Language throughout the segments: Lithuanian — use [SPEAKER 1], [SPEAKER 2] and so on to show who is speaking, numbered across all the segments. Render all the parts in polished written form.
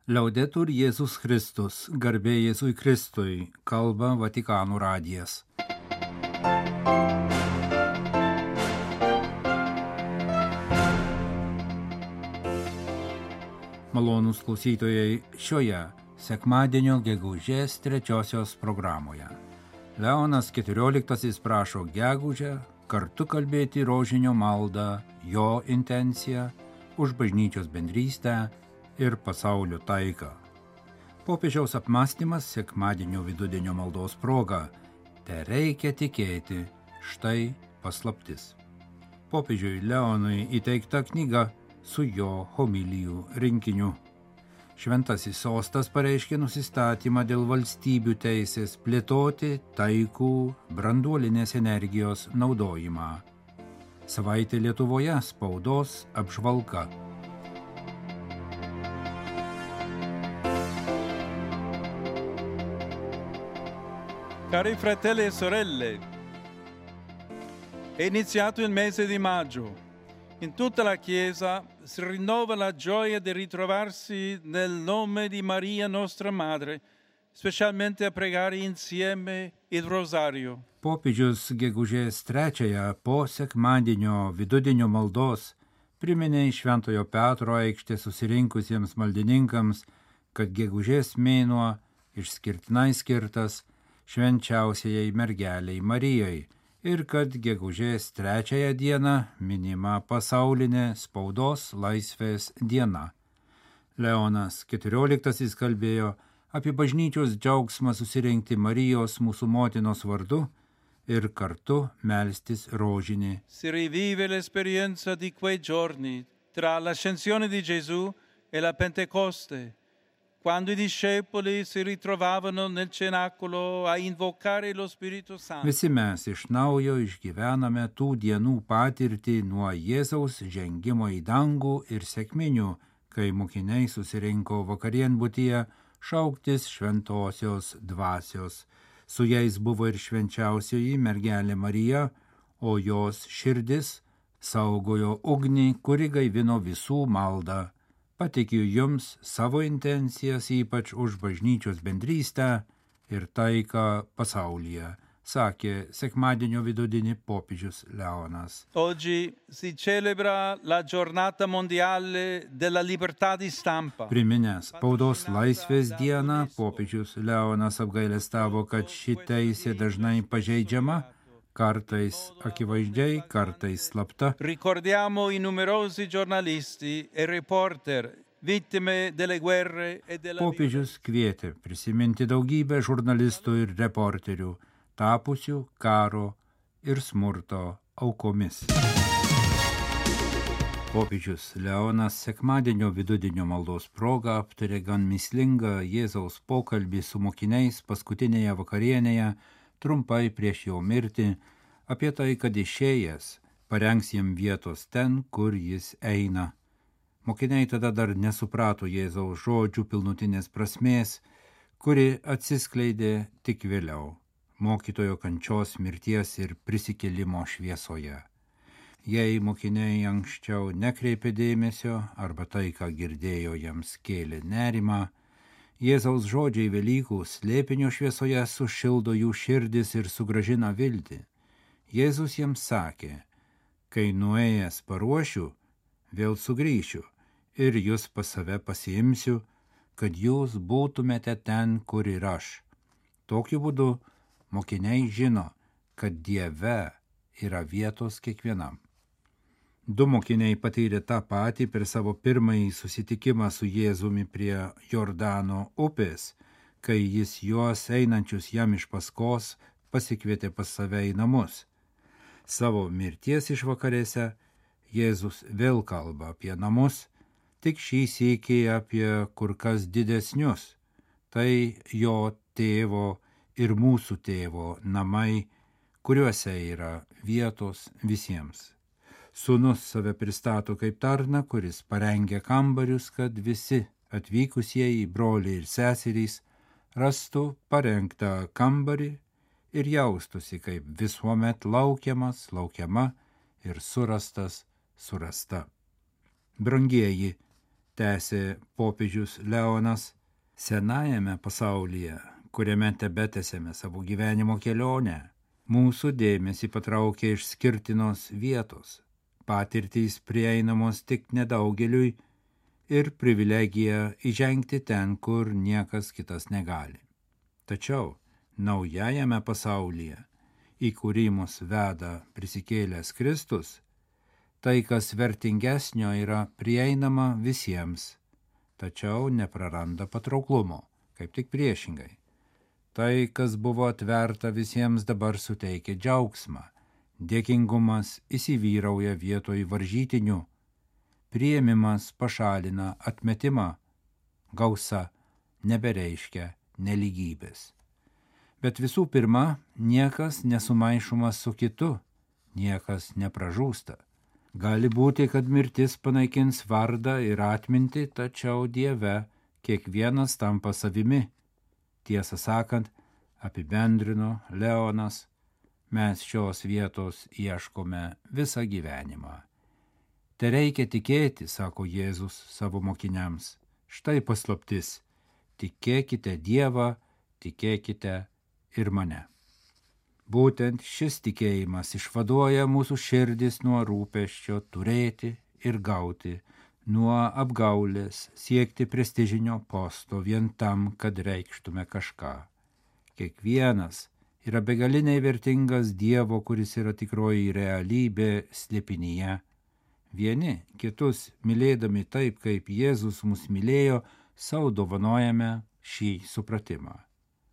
[SPEAKER 1] Liaudetur Jėzus Kristus, garbė Jėzui Kristui, kalba Vatikano radijas. Malonūs klausytojai, šioje sekmadienio gegužės 3 programoje. Leonas XIV prašo gegužę kartu kalbėti rožinio maldą, jo intenciją, už bažnyčios bendrystę ir pasaulio taiką. Popiežiaus apmąstymas sekmadienio vidudienio maldos proga. Tereikia tikėti, štai paslaptis. Popiežiui Leonui įteikta knyga su jo homilijų rinkiniu. Šventasis sostas pareiškė nusistatymą dėl valstybių teisės plėtoti taikų branduolinės energijos naudojimą. Savaitė Lietuvoje spaudos apžvalga.
[SPEAKER 2] Cari fratelli e sorelle, è iniziato il mese di maggio. In tutta la Chiesa si rinnova la gioia di ritrovarsi nel nome di Maria nostra Madre, specialmente a pregare insieme il rosario.
[SPEAKER 1] Popiežius gegužės 3 po sekmadienio vidudienio maldos priminė iš Šventojo Petro aikštės susirinkusiems maldininkams, kad gegužės mėnuo išskirtinai skirtas švenčiausiajai mergeliai Marijai ir kad gegužės 3 dieną minima pasaulinė spaudos laisvės diena. Leonas XIV kalbėjo apie bažnyčios džiaugsmą susirinkti Marijos mūsų motinos vardu ir kartu melstis rožinį.
[SPEAKER 2] Si rivive l'esperienza di quei giorni tra l'ascensione di Gesù e la Pentecoste, quando i discepoli si ritrovavano nel cenacolo a invocare lo Spirito Santo.
[SPEAKER 1] Visi mes iš naujo išgyvename tų dienų patirtį nuo Jėzaus žengimo į dangų ir sekminių, kai mokiniai susirinko vakarienbutyje šauktis šventosios dvasios. Su jais buvo ir švenčiausioji mergelė Marija, o jos širdis saugojo ugnį, kuri gaivino visų maldą. Pateikiu jums savo intencijas ypač už bažnyčios bendrystę ir taiką pasaulyje, sakė sekmadienio vidudienį popiežius Leonas.
[SPEAKER 2] Oggi si celebra la giornata mondiale della libertà di stampa.
[SPEAKER 1] Priminęs spaudos laisvės dieną, popiežius Leonas apgailestavo, kad ši teisė dažnai pažeidžiama, kartais akivaizdžiai, kartais slapta.
[SPEAKER 2] Ricordiamo i numerosi giornalisti e reporter vittime delle guerre e della
[SPEAKER 1] Popiežius kvietė prisiminti daugybę žurnalistų ir reporterių, tapusių karo ir smurto aukomis. Popiežius Leonas sekmadienio vidudienio maldos proga aptarė gan mįslingą Jėzaus pokalbį su mokiniais paskutinėje vakarienėje, trumpai prieš jo mirtį, apie tai, kad išėjęs parengs jam vietos ten, kur jis eina. Mokiniai tada dar nesuprato Jėzaus žodžių pilnutinės prasmės, kuri atsiskleidė tik vėliau, mokytojo kančios, mirties ir prisikėlimo šviesoje. Jei mokiniai anksčiau nekreipė dėmesio arba tai, ką girdėjo, jiems kėlė nerimą, Jėzaus žodžiai Velykų slėpinio šviesoje sušildo jų širdis ir sugrąžina viltį. Jėzus jiems sakė, kai nuėjęs paruošiu, vėl sugrįšiu ir jūs pas save pasiimsiu, kad jūs būtumėte ten, kur ir aš. Tokiu būdu mokiniai žino, kad Dieve yra vietos kiekvienam. Du mokiniai patyrė tą patį per savo pirmąjį susitikimą su Jėzumi prie Jordano upės, kai jis juos einančius jam iš paskos pasikvietė pas save į namus. Savo mirties išvakarėse Jėzus vėl kalba apie namus, tik šį sykį apie kur kas didesnius. Tai jo tėvo ir mūsų tėvo namai, kuriuose yra vietos visiems. Sūnus save pristato kaip tarną, kuris parengia kambarius, kad visi atvykusieji broliai ir seserys rastų parengtą kambarį ir jaustųsi kaip visuomet laukiama ir surasta. Brangieji, tęsė popiežius Leonas, senajame pasaulyje, kuriame tebetęsėme savo gyvenimo kelionę, mūsų dėmesį patraukia išskirtinos vietos, patirtys prieinamos tik nedaugeliui ir privilegija įžengti ten, kur niekas kitas negali. Tačiau naujajame pasaulyje, į kurį mus veda prisikėlęs Kristus, tai, kas vertingesnio, yra prieinama visiems, tačiau nepraranda patrauklumo, kaip tik priešingai. Tai, kas buvo atverta visiems, dabar suteikia džiaugsmą, dėkingumas įsivyrauja vietoj varžytinių, priėmimas pašalina atmetimą, gausa nebereiškia nelygybės. Bet visų pirma, niekas nesumaišomas su kitu, niekas nepražūsta. Gali būti, kad mirtis panaikins vardą ir atmintį, tačiau Dieve kiekvienas tampa savimi. Tiesą sakant, apibendrino Leonas, mes šios vietos ieškome visą gyvenimą. Te reikia tikėti, sako Jėzus savo mokiniams. Štai paslaptis. Tikėkite Dievą, tikėkite ir mane. Būtent šis tikėjimas išvaduoja mūsų širdis nuo rūpesčio turėti ir gauti, nuo apgaulės siekti prestižinio posto vien tam, kad reikštume kažką. Kiekvienas yra begaliniai vertingas Dievo, kuris yra tikroji realybė slėpinyje. Vieni kitus mylėdami taip, kaip Jėzus mus mylėjo, sau dovanojame šį supratimą.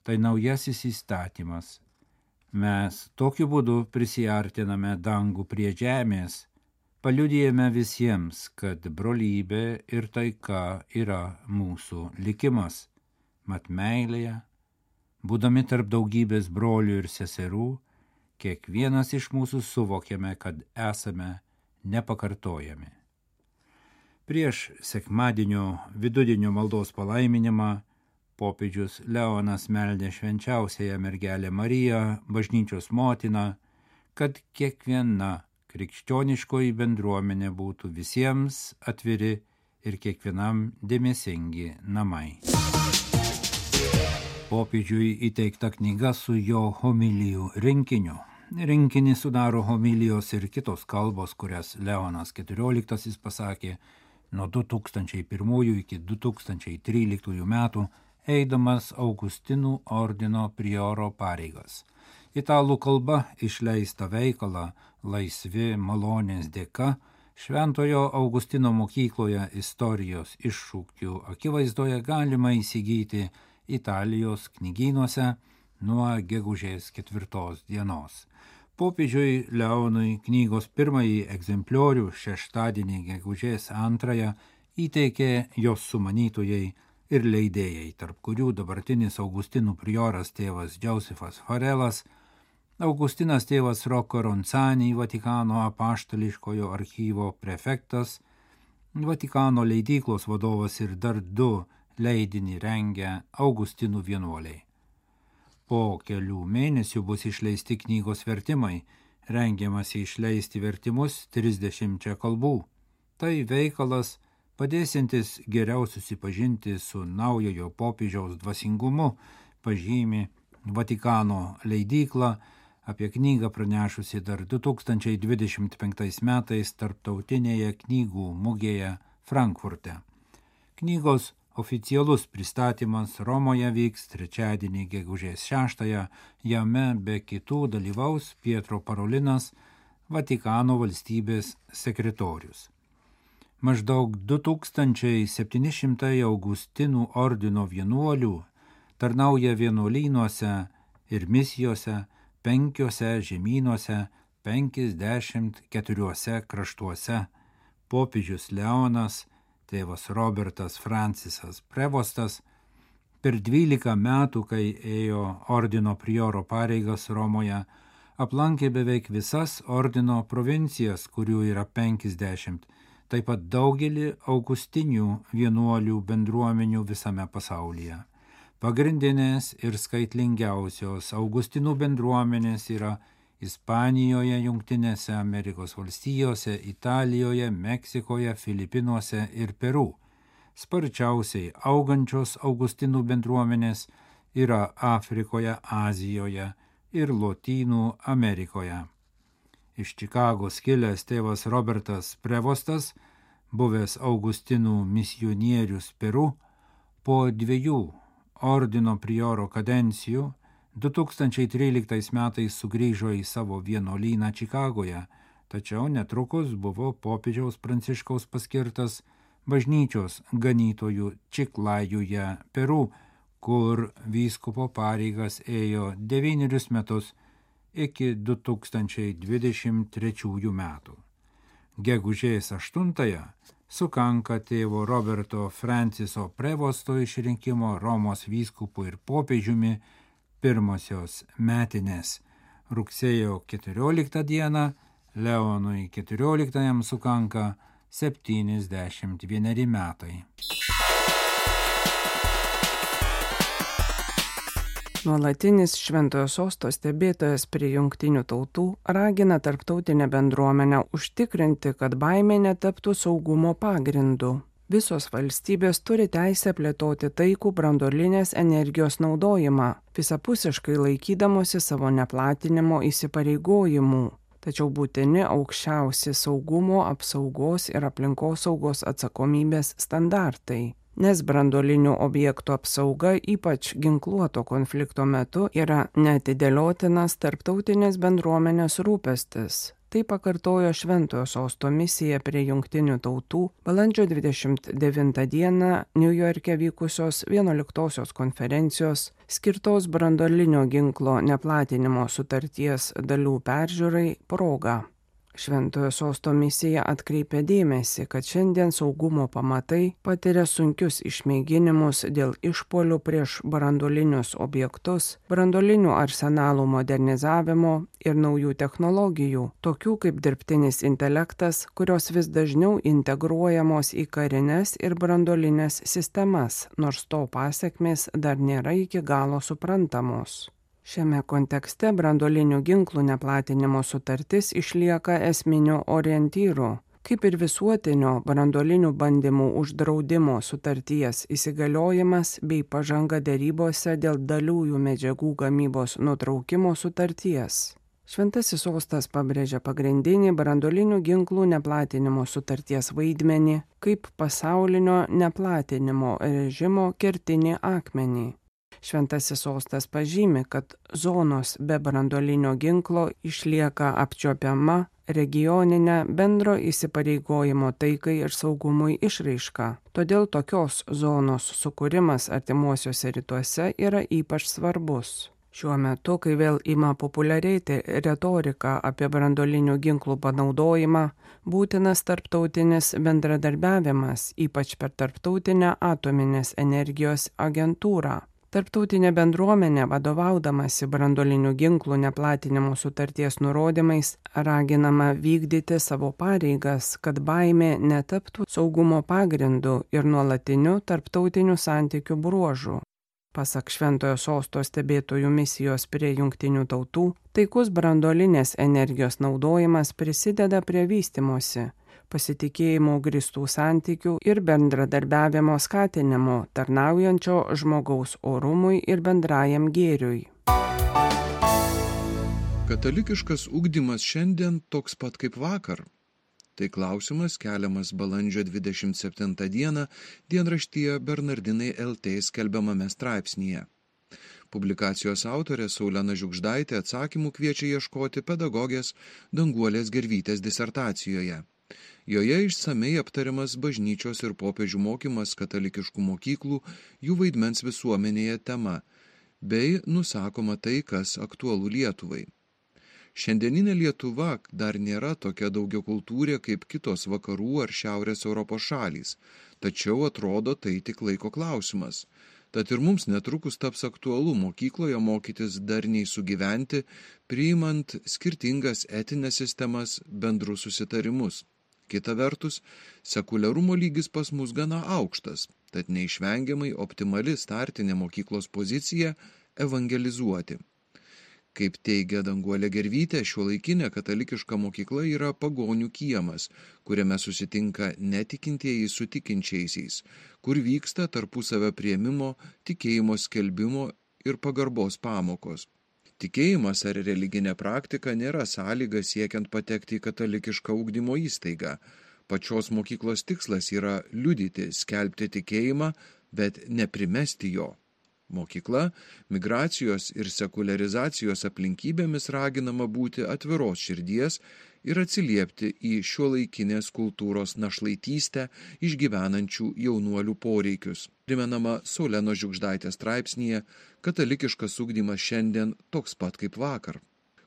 [SPEAKER 1] Tai naujasis įstatymas. Mes tokiu būdu prisiartiname dangų prie žemės, paliudijame visiems, kad brolybė ir taika yra mūsų likimas. Mat meilėje, būdami tarp daugybės brolių ir seserų, kiekvienas iš mūsų suvokiame, kad esame nepakartojami. Prieš sekmadienio vidudienio maldos palaiminimą popiežius Leonas meldė švenčiausiąją mergelę Mariją, bažnyčios motiną, kad kiekviena krikščioniškoji bendruomenė būtų visiems atviri ir kiekvienam dėmesingi namai. Popiežiui įteikta knyga su jo homilijų rinkiniu. Rinkinį sudaro homilijos ir kitos kalbos, kurias Leonas XIV pasakė nuo 2001 iki 2013 metų, eidamas Augustinų ordino prioro pareigas. Italų kalba išleista veikalą Laisvi malonės dėka Šventojo Augustino mokykloje istorijos iššūkių akivaizdoje galima įsigyti Italijos knygynuose nuo gegužės 4 dienos. Popiežiui Leonui knygos pirmąjį egzempliorių šeštadienį gegužės 2 įteikė jos sumanytojai ir leidėjai, tarp kurių dabartinis Augustinų prioras tėvas Džiausefas Farelas, Augustinas tėvas Rocco Ronzani, Vatikano apaštališkojo archyvo prefektas, Vatikano leidyklos vadovas ir dar 2 leidinį rengę Augustinų vienuoliai. Po kelių mėnesių bus išleisti knygos vertimai, rengiamasi išleisti vertimus 30 kalbų. Tai veikalas padėsintis geriau susipažinti su naujojo popiežiaus dvasingumu, pažymi Vatikano leidykla, apie knygą pranešusi dar 2025 metais tarptautinėje knygų mugėje Frankfurte. Knygos oficialus pristatymas Romoje vyks trečiadienį gegužės 6, jame be kitų dalyvaus Pietro Parolinas, Vatikano valstybės sekretorius. Maždaug 2700 Augustinų ordino vienuolių tarnauja vienuolynuose ir misijose 5 žemynuose, 54 kraštuose. Popiežius Leonas, tėvas Robertas Francisas Prevostas, per 12 metų, kai ėjo ordino prioro pareigas Romoje, aplankė beveik visas ordino provincijas, kurių yra 50, taip pat daugelį augustinių vienuolių bendruomenių visame pasaulyje. Pagrindinės ir skaitlingiausios Augustinų bendruomenės yra Ispanijoje, Jungtinėse Amerikos valstijose, Italijoje, Meksikoje, Filipinuose ir Peru. sparčiausiai augančios Augustinų bendruomenės yra Afrikoje, Azijoje ir Lotynų Amerikoje. Iš Čikagos kilęs tėvas Robertas Prevostas, buvęs Augustinų misionierius Peru, po 2 ordino prioro kadencijų 2013 metais sugrįžo į savo vienuolyną Čikagoje, tačiau netrukus buvo popiežiaus Pranciškaus paskirtas bažnyčios ganytojų Čiklajuje, Peru, kur vyskupo pareigas ėjo 9 metus iki 2023 metų. Gegužės 8 sukanka tėvo Roberto Franciso Prevosto išrinkimo Romos vyskupu ir popiežiumi pirmosios metinės. Rugsėjo 14 dieną Leonui XIV sukanka 71 metai.
[SPEAKER 3] Nuolatinis Šventojo Sosto stebėtojas prie Jungtinių tautų ragina tarptautinę bendruomenę užtikrinti, kad baimė netaptų saugumo pagrindu. Visos valstybės turi teisę plėtoti taikų branduolinės energijos naudojimą, visapusiškai laikydamosi savo neplatinimo įsipareigojimų. Tačiau būtini aukščiausi saugumo, apsaugos ir aplinkosaugos atsakomybės standartai. Nes branduolinių objektų apsauga, ypač ginkluoto konflikto metu, yra neatidėliotinas tarptautinės bendruomenės rūpestis. Tai pakartojo Šventojo Sosto misija prie Jungtinių tautų balandžio 29 dieną Niujorke vykusios 11-osios konferencijos skirtos branduolinio ginklo neplatinimo sutarties dalių peržiūrai proga. Šventojo Sosto misija atkreipė dėmesį, kad šiandien saugumo pamatai patiria sunkius išmėginimus dėl išpuolių prieš branduolinius objektus, branduolinių arsenalų modernizavimo ir naujų technologijų, tokių kaip dirbtinis intelektas, kurios vis dažniau integruojamos į karines ir branduolinės sistemas, nors to pasekmės dar nėra iki galo suprantamos. Šiame kontekste branduolinių ginklų neplatinimo sutartis išlieka esminiu orientyru, kaip ir visuotinio branduolinių bandymų uždraudimo sutarties įsigaliojimas bei pažanga derybose dėl daliųjų medžiagų gamybos nutraukimo sutarties. Šventasis Sostas pabrėžia pagrindinį branduolinių ginklų neplatinimo sutarties vaidmenį kaip pasaulinio neplatinimo režimo kertinį akmenį. Šventasis Sostas pažymi, kad zonos be branduolinio ginklo išlieka apčiuopiama regioninė bendro įsipareigojimo taikai ir saugumui išraiška. Todėl tokios zonos sukūrimas artimuosiuose rytuose yra ypač svarbus. Šiuo metu, kai vėl ima populiarėti retorika apie branduolinių ginklų panaudojimą, būtinas tarptautinis bendradarbiavimas, ypač per Tarptautinę atominės energijos agentūrą. Tarptautinė bendruomenė, vadovaudamasi branduolinių ginklų neplatinimo sutarties nurodymais, raginama vykdyti savo pareigas, kad baimė netaptų saugumo pagrindu ir nuolatiniu tarptautinių santykių bruožu. Pasak Šventojo Sosto stebėtojų misijos prie Jungtinių tautų, taikus branduolinės energijos naudojimas prisideda prie vystymosi, pasitikėjimo grįstų santykių ir bendradarbiavimo skatinimo, tarnaujančio žmogaus orumui ir bendrajam gėriui.
[SPEAKER 4] Katalikiškas ugdymas šiandien toks pat kaip vakar. Tai klausimas keliamas balandžio 27 dieną dienraštyje Bernardinai LT skelbiamame straipsnyje. Publikacijos autorė Saulena Žiugždaitė atsakymų kviečia ieškoti pedagogės Danguolės Gervytės disertacijoje. Joje išsamei aptariamas bažnyčios ir popiežių mokymas katalikiškų mokyklų, jų vaidmens visuomenėje tema, bei nusakoma tai, kas aktualu Lietuvai. Šiandieninė Lietuva dar nėra tokia daugiakultūrė kaip kitos vakarų ar šiaurės Europos šalys, tačiau atrodo tai tik laiko klausimas. Tad ir mums netrukus taps aktualu mokykloje mokytis darniai sugyventi, priimant skirtingas etinės sistemas, bendrus susitarimus. Kita vertus, sekuliarumo lygis pas mus gana aukštas, tad neišvengiamai optimali startinė mokyklos pozicija evangelizuoti. Kaip teigia Danguolė Gervytė, šiuolaikinė katalikiška mokykla yra pagonių kiemas, kuriame susitinka netikintieji su tikinčiaisiais, kur vyksta tarpusavio priėmimo, tikėjimo skelbimo ir pagarbos pamokos. Tikėjimas ar religinė praktika nėra sąlyga siekiant patekti į katalikišką ugdymo įstaigą. Pačios mokyklos tikslas yra liudyti, skelbti tikėjimą, bet neprimesti jo. Mokykla migracijos ir sekuliarizacijos aplinkybėmis raginama būti atviros širdies ir atsiliepti į šiuolaikinės kultūros našlaitystę išgyvenančių jaunuolių poreikius. Primenama Saulenos Žiugždaitės straipsnyje "Katalikiškas ugdymas šiandien toks pat kaip vakar".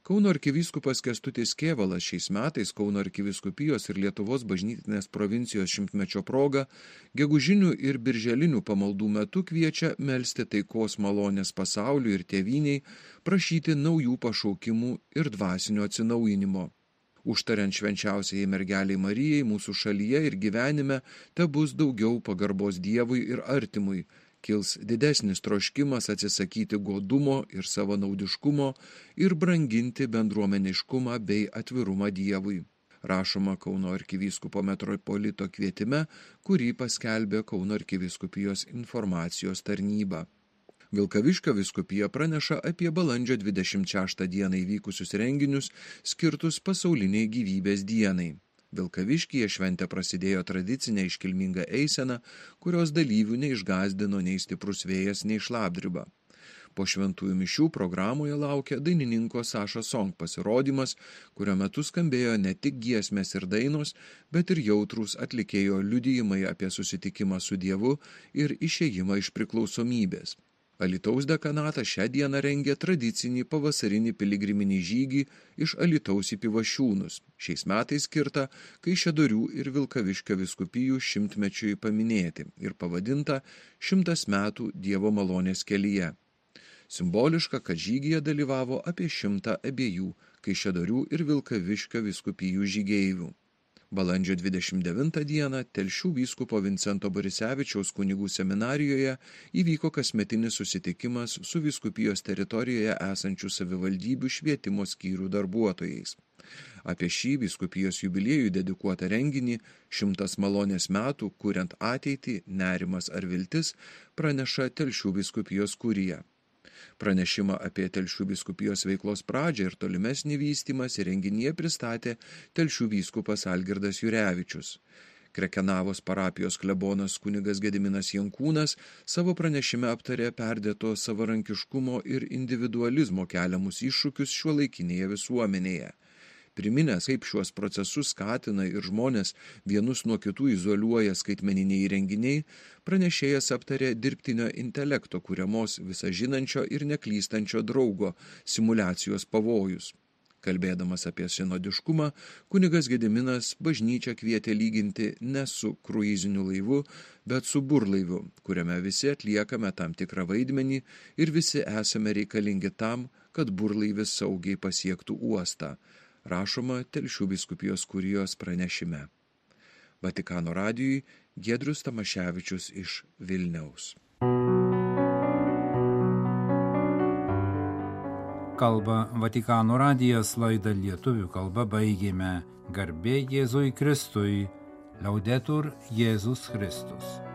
[SPEAKER 4] Kauno arkivyskupas Kęstutis Kėvalas šiais metais Kauno arkivyskupijos ir Lietuvos bažnytinės provincijos 100-mečio proga gegužinių ir birželinių pamaldų metu kviečia melsti taikos malonės pasauliui ir tėvyniai, prašyti naujų pašaukimų ir dvasinio atsinaujinimo. Užtariant švenčiausiai mergeliai Marijai mūsų šalyje ir gyvenime tebus daugiau pagarbos Dievui ir artimui, kils didesnis troškimas atsisakyti godumo ir savanaudiškumo ir branginti bendruomeniškumą bei atvirumą Dievui. Rašoma Kauno arkivyskupo metropolito kvietime, kurį paskelbė Kauno arkivyskupijos informacijos tarnyba. Vilkaviškio vyskupija praneša apie balandžio 26 dieną įvykusius renginius skirtus pasauliniai gyvybės dienai. Vilkaviškyje šventė prasidėjo tradicinė iškilminga eisena, kurios dalyvių neišgąsdino nei stiprus vėjas, nei šlapdriba. Po šventųjų mišių programoje laukia dainininko Saša Song pasirodymas, kurio metu skambėjo ne tik giesmės ir dainos, bet ir jautrūs atlikėjo liudijimai apie susitikimą su Dievu ir išėjimą iš priklausomybės. Alytaus dekanatas šią dieną rengė tradicinį pavasarinį piligriminį žygį iš Alytaus į Pivašiūnus, šiais metais skirtą Kaišiadorių ir Vilkaviškio vyskupijų 100-mečiui paminėti ir pavadinta 100 metų Dievo malonės kelyje. Simboliška, kad žygyje dalyvavo apie 100 abiejų Kaišiadorių ir Vilkaviškio vyskupijų žygeivių. Balandžio 29 dieną Telšių vyskupo Vincento Borisevičiaus kunigų seminarijoje įvyko kasmetinis susitikimas su vyskupijos teritorijoje esančių savivaldybių švietimo skyrių darbuotojais. Apie šį vyskupijos jubiliejų dedikuotą renginį 100 malonės metų, kuriant ateitį, nerimas ar viltis, praneša Telšių vyskupijos kurija. Pranešimą apie Telšių vyskupijos veiklos pradžią ir tolimesnį vystymąsi renginyje pristatė Telšių vyskupas Algirdas Jurevičius. Krekenavos parapijos klebonas kunigas Gediminas Jankūnas savo pranešime aptarė perdėto savarankiškumo ir individualizmo keliamus iššūkius šiuolaikinėje visuomenėje. Priminęs, kaip šiuos procesus skatina ir žmonės vienus nuo kitų izoliuoja skaitmeniniai įrenginiai, pranešėjas aptarė dirbtinio intelekto kuriamos visažinančio ir neklystančio draugo simuliacijos pavojus. Kalbėdamas apie sinodiškumą, kunigas Gediminas bažnyčią kvietė lyginti ne su kruiziniu laivu, bet su burlaiviu, kuriame visi atliekame tam tikrą vaidmenį ir visi esame reikalingi tam, kad burlaivis saugiai pasiektų uostą. Rašoma Telšių vyskupijos kurijos pranešime. Vatikano radijui Giedrius Tamaševičius iš Vilniaus.
[SPEAKER 1] Kalba Vatikano radijas, laidą lietuvių kalba baigėme. Garbė Jėzui Kristui, Laudetur Jėzus Kristus.